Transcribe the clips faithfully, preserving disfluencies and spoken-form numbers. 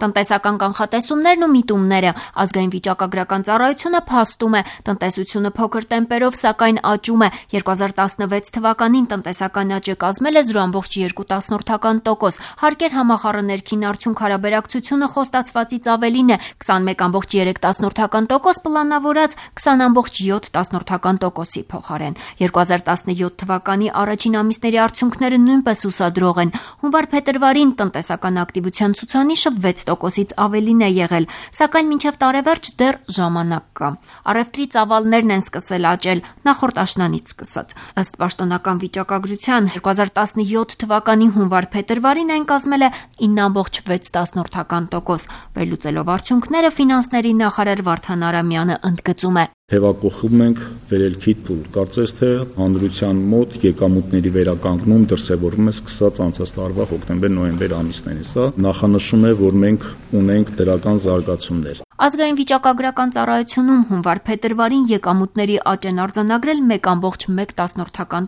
Տնտեսական կանխատեսումներն ու միտումները։ Ազգային վիճակագրական ծառայությունը փաստում է, տնտեսությունը փոքր տեմպերով, սակայն աճում է։ երկու հազար տասնվեց թվականին տնտեսական աճը կազմել է զրո ամբողջ երկու տոկոս։ Հարկ էր համախառն ներքին արդյունք հարաբերակցությունը խոստացվածից ավելին է՝ քսանմեկ ամբողջ երեք տոկոս պլանավորած քսան ամբողջ յոթ տոկոսի փոխարեն։ երկու հազար տասնյոթ թվականի առաջին ամիսների արդյունքները նույնպես հուսադրող են։ Հունվար-փետրվարին տնտեսական ակտիվության ցուցանիշը վեց տոկոսից ավելին է եղել, սակայն մինչև տարեվերջ դեռ ժամանակ կա։ Առևտրի ծավալներն են սկսել աճել նախորդ աշնանից սկսած։ Ըստ պաշտոնական վիճակագրության երկու հազար տասնյոթ թվականի հունվար-փետրվարին այն կազմել է ինը ամբողջ վեց տոկոս։ Վերլուծելով արդյունքները ֆինանսների նախարար Վարդան Արամյանը ընդգծում է. Թևակողում ենք վերելքի փուլ։ Կարծես թե հանրության մոտ եկամուտների վերականգնում դրսևորվում է սկսած անցած տարվա հոկտեմբեր-նոյեմբեր ամիսներից։ Սա նախանշում է, որ մենք ունենք դրական զարգացումներ։ Ազգային վիճակագրական ծառայությունում հունվար-փետրվարին եկամուտների աճ են արձանագրել մեկ ամբողջ մեկ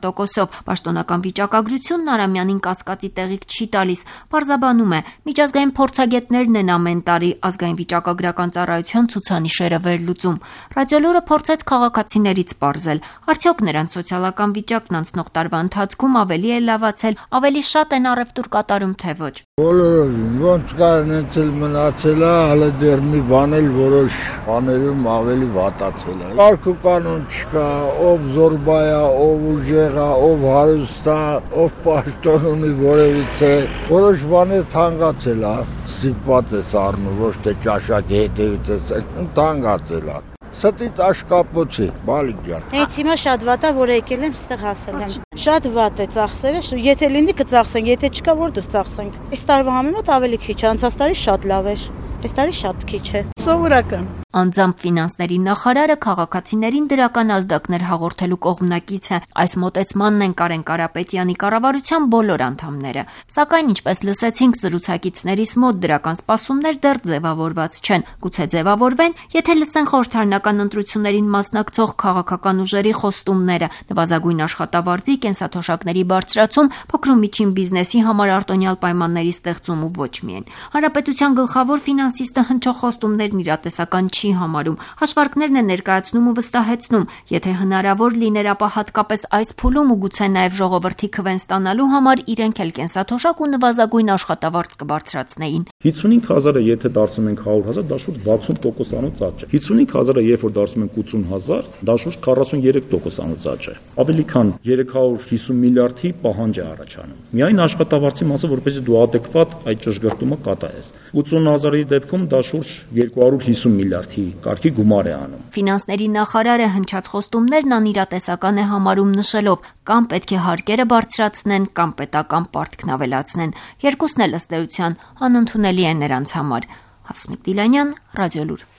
տոկոսով։ Պաշտոնական վիճակագրությունն Արամյանին կասկածի տեղիք չի տալիս, պարզաբանում է. միջազգային փորձագետներն են ամեն տարի ազգային վիճակագրական ծառայության ցուցանիշերը վերլուծում։ Ռադիոլուրը փորձեց քաղաքացիներից պարզել, արդյոք նրանց սոցիալական վիճակն անցնող տարվա ընթացքում ավելի է լավացել, ավելի շատ են առևտուր կատարում, թե ոչ։ Բոլորովին, ոնց կար նեցել մնացել է, հələ դեռ մի բան էլ որոշ բաներում ավելի վատացել է։ Կարգ ու կանոն չկա, ով զորբա է, ով ուժեղ է, ով հարուստ է, ով պաշտոն ունի որևիցե, որոշ բաներ թանկացել է, ստիպված ես առնում, ոչ թե ճաշակի հետևից ես, թանկացել է։ Ստից աշկապոցի, բալիկ ջան։ Հենց հիմա շատ վատ է, որ եկել եմ, ստեղ հասել եմ։ Շատ վատ է ծախսերը, եթե լինի կծախսենք, եթե չկա, որ դուրս ծախսենք։ Այս տարվա համեմատ ավելի քիչ է, անցած տարի շատ լավ էր։ Այս տարի շատ քիչ է։ Սովորական։ Անձամբ ֆինանսների նախարարը քաղաքացիներին դրական ազդակներ հաղորդելու կողմնակից է։ Այս մոտեցմանն են Կարեն Կարապետյանի կառավարության բոլոր անդամները։ Սակայն, ինչպես լսեցինք զրուցակիցներիս մոտ, դրական սպասումներ դեռ ձևավորված չեն։ Գուցե ձևավորվեն, եթե լսեն խորհրդարանական ընտրություններին մասնակցող քաղաքական ուժերի խոստումները, նվազագույն աշխատավարձի, կենսաթոշակների բարձրացում, փոքր ու միջին բիզնեսի համար արտոնյալ պայմանների ստեղծում ու ոչ միայն։ Հանրապետության գլխավոր ֆինանսիստը հնչող խոստումներն իրատեսական չի համարում, հաշվարկներն է ներկայացնում ու վստահեցնում, եթե հնարավոր լիներ, ապա հատկապես այս փուլում ու գուցե նաև ժողովրդի քվեն ստանալու համար իրենք էլ կենսաթոշակ ու նվազագույն աշխատավարձ կբարձրացնեին։ հիսունհինգ հազարը եթե դարձնում ենք հարյուր հազար, դա շուրջ վաթսուն տոկոսանոց աճ է։ հիսունհինգ հազարը երբ որ դարձնում ենք ութսուն հազար, դա շուրջ քառասունյերեք տոկոսանոց աճ է։ Ավելի քան երեք հարյուր հիսուն միլիարդի պահանջ է առաջանում։ Միայն աշխատավարձի մասը, որպեսզի դու adekvat այդ ճշգրտումը կատարես։ ութսուն հազարի դեպքում դա շուրջ երկու հարյուր հիսուն միլիարդի կարգի գումար է անում։ Ֆինանսների նախարարը հնչած խոստումներն անիրատեսական է համարում, նշելով, կամ պետք է հարկերը բարձրացնեն, կամ պետական պարտքն ավելացնեն։ Երկուսն էլ ըստ էության անընդունելի է նրանց համար։ Հասմիկ Դիլանյան, Ռադիոլուր։